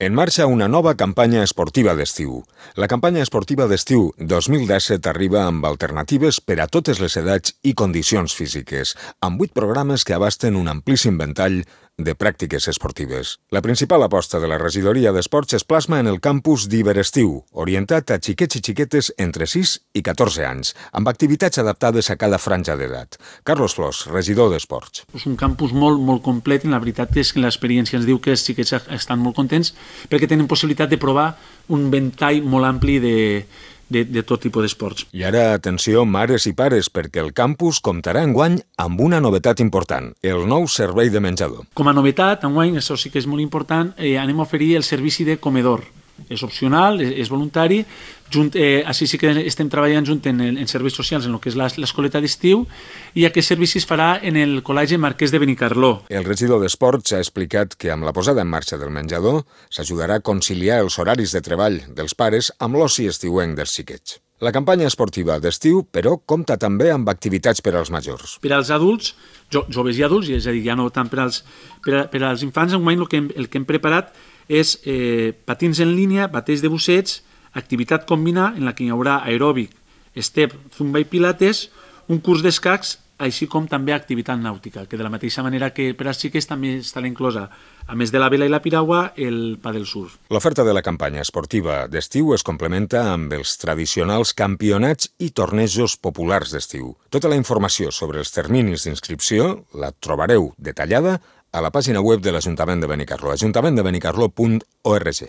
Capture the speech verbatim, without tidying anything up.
En marxa una nova campanya esportiva d'estiu. La campanya esportiva d'estiu dos mil disset arriba amb alternatives per a totes les edats i condicions físiques, amb vuit programes que abasten un amplíssim ventall de pràctiques esportives. La principal aposta de la regidoria d'esports es plasma en el campus d'Hiberestiu, orientat a xiquets i xiquetes entre sis i catorze anys, amb activitats adaptades a cada franja d'edat. Carlos Flors, regidor d'Esports. És un campus molt, molt complet i la veritat és que l'experiència ens diu que els xiquets estan molt contents perquè tenen possibilitat de provar un ventall molt ampli de, de, de tot tipus d'esports. I ara, atenció, mares i pares, perquè el campus comptarà enguany amb una novetat important, el nou servei de menjador. Com a novetat, enguany, això sí que és molt important, eh, anem a oferir el servici de comedor. És opcional, és, és voluntari, junt, eh, així sí que estem treballant junt en, en serveis socials, en el que és l'escoleta d'estiu, i aquest servici es farà en el Col·legi Marquès de Benicarló. El regidor d'Esports ha explicat que amb la posada en marxa del menjador s'ajudarà a conciliar els horaris de treball dels pares amb l'oci estiuenc dels xiquets. La campanya esportiva d'estiu, però, compta també amb activitats per als majors. Per als adults, jo, joves i adults, és a dir, ja no tant per als, per a, per als infants, enguany el que hem, el que hem preparat és eh, patins en línia, bateig de busseig, activitat combinada en la que hi haurà aeròbic, step, zumba i pilates, un curs d'escacs, així com també activitat nàutica, que de la mateixa manera que per als xiques també estarà inclosa, a més de la vela i la piragua, el paddle surf. L'oferta de la campanya esportiva d'estiu es complementa amb els tradicionals campionats i tornejos populars d'estiu. Tota la informació sobre els terminis d'inscripció la trobareu detallada a la pàgina web de l'Ajuntament de Benicarló, ajuntament de benicarló punt org.